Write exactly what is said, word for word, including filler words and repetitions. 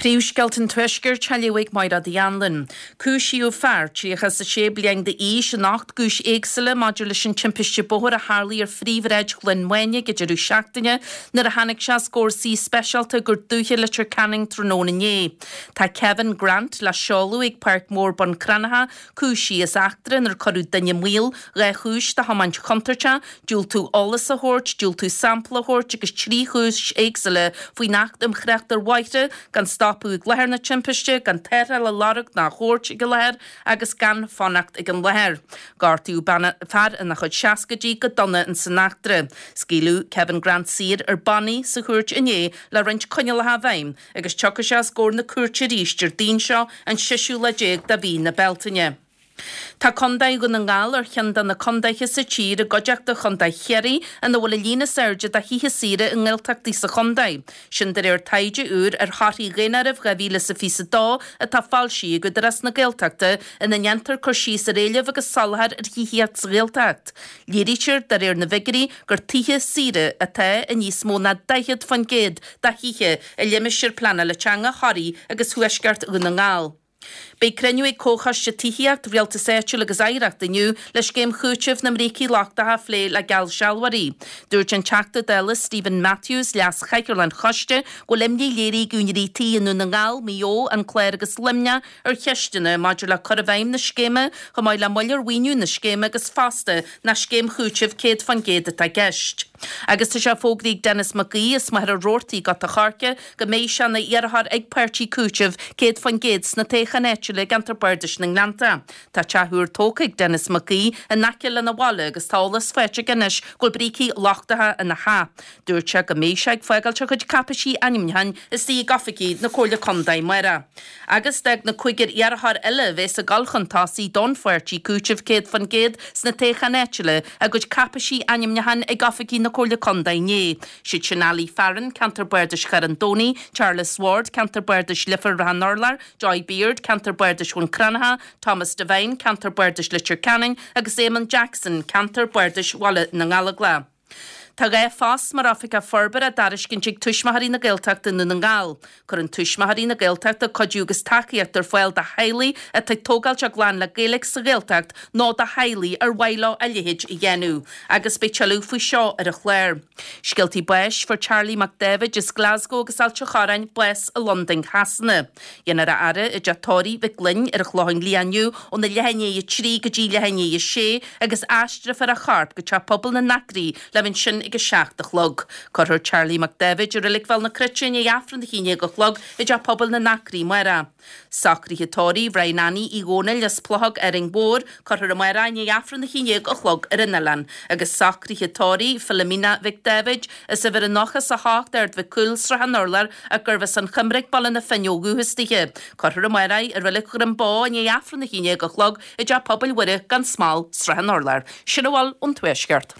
Príomhscéalta an Tuaiscirt á léamh ag Máire Uí Anluain. Cúisíodh fear tríocha is a sé bliain d'aois in ocht gcúis éagsúla maidir leis an timpiste bóthair a tharlaigh ar phríomhshráid Chluain Maine ag an deireadh seachtaine nuair a tháinig sé os comhair suí speisialta i gCúirt Dúiche Leitir Ceanainn tráthnóna inné. Tá Kevin Grant le seoladh ag Páirc Mhór Bun Cranncha cúisithe as eachtra inar cuireadh duine maol, dhá chúis de thiomáint chontúirteach, diúltú eolas a thabhairt, diúltú sampla a thabhairt agus trí chúis éagsúla faoin Acht um Thrácht ar Bhóithre gan stopadh ag láthair na timpiste, gan tarrtháil a lorg ná a thabhairt ag an láthair agus gan fanacht ag an láthair. Gortaíodh bean fear ina chuid seascaidí go dona in san eachtra. Scaoileadh Kevin Grant saor ar bannaí sa chúirt inné le roinnt coinníollacha i bhfeidhm agus tiocfaidh sé os comhair na cúirte arís Déardaoin seo an seisiú lá déag de mhí na Bealtaine. Tá Contae Dhún na nGall ar cheann de na contaetha sa tír i gcuideachta Chontae Chiarraí ina bhfuil an líon is airde de thithe saoire i nGaeltachtaí sa chontae. Sin de réir taighde úr ar thorthaí Dhaonáireamh dhá mhíle is a fiche a dó atá foilsithe ag Údarás na Gaeltachta ina ndéantar cur síos ar éileamh agus soláthar ar thithíocht sa Ghaeltacht. Léirítear de réir na bhfigiúirí gur tithe saoire atá i níos mó ná daichead faoin gcéad de thithe i limistéar pleanála teanga Thoraí agus Thuaisceart Dhún na nGall. Beidh cruinniú ag Comhchoiste Tithíocht, Rialtas Áitiúil agus Oidhreacht inniu le scéim chúitimh na mbrící lochtacha a phlé le geallsealbhóirí. Dúirt an Teachta Dála Steven Matthews, Leas-Chathaoirleach an Choiste, go bhfuil imní léirithe ag úinéirí tí i nDún na nGall, Maigh Eo, An Clár agus Luimneach ar cheisteanna maidir le cur i bhfeidhm na scéime, chomh maith le moill ar mhaoiniú na scéime agus fosta nach scéim chúitimh céad faoin gcéad atá i gceist. Agus tá sé fógraithe ag Denis Mac Aoidh as Machaire Rabhartaigh i gCo. Chorcaí go mbeidh sé ina iarrthóir ag páirtí cúitimh céad faoin gcéad sna toghcháin áitiúla i gceantar Bardais na nGleannta. Tá teach úr tógtha ag Denis Mac Aoidh in aice lena bhaile agus tá eolas faighte aige anois go bhfuil brící lochtacha ina theach. Dúirt sé go mbeidh sé ag fágáilt a chuid cáipéisí ainmniúcháin istigh ag oifigí na Comhairle Contae amárach. Agus d'fhág na cúigear iarrthóir eile a bheas ag dul chun tosaigh don pháirtí cúitimh céad faoin gcéad sna toghcháin áitiúla a gcuid cáipéisí ainmniúcháin ag oifigí na Comhairle Contae inné. Siad sin Ali Farren, Ceantar Bardais Charn Domhnaigh, Charles Ward, Ceantar Bardais Leifear Ráth an Urláir, Joy Beard, Ceantar Bardais Bhun Cranncha, Thomas Devine, Ceantar Bardais Leitir Ceanainn agus Eamon Jackson, Ceantar Bardais Bhaile na nGallóglach. Tá dhá phost mar Oifigeach Forbartha á dtairiscint ag Tuismitheoirí na Gaeltachta i nDún na nGall. Cuireann Tuismitheoirí na Gaeltachta cuidiú agus tacaíocht ar fáil do theaghlaigh atá ag tógáilt a gclann le Gaeilge sa Ghaeltacht nó do theaghlaigh ar mhaith leo a leithéid a dhéanamh. Agus beidh tuilleadh faoi seo ar an chlár. Scéaltaí báis Fuair Charlie Mac Daibhéid as Glasgow agus Ailt an Chorráin bás i Londain Shasana. Déanfar a fhaire i dTeach Tórraimh Mhic Fhloinn ar an Chlochán Liath inniu óna leath i ndiaidh a trí go dtí leath i ndiaidh a sé agus aistreofar a chorp go Teach Pobail na nAcraí le bheith ansin ag a seacht a chlog. Cuirfear Charlie Mac Daibhéid i Reilig Bhéal na Cruite i ndiaidh Aifreann a haon déag a chlog i dTeach Pobail na nAcraí amárach. Socruithe tórraimh Ryan Annie Uí Dhónaill as Plochóg Árainn Mhór, cuirfear amárach i ndiaidh Aifreann a haon déag a chlog ar an oileán, agus socruithe tórraimh Philomena Mhic Daibhéid as uimhir a nócha is a hocht Ard Mhic Cumhaill, Srath an Urláir, ach gurbh as an Choimric, Baile na Finne ó dhúchas dithe. Cuirfear amárach í i Reilig Dhroim Bó i ndiaidh Aifreann a haon déag a chlog i dTeach Pobail Mhuire gan Smál, Srath an Urláir. Sin a bhfuil ón Tuaisceart.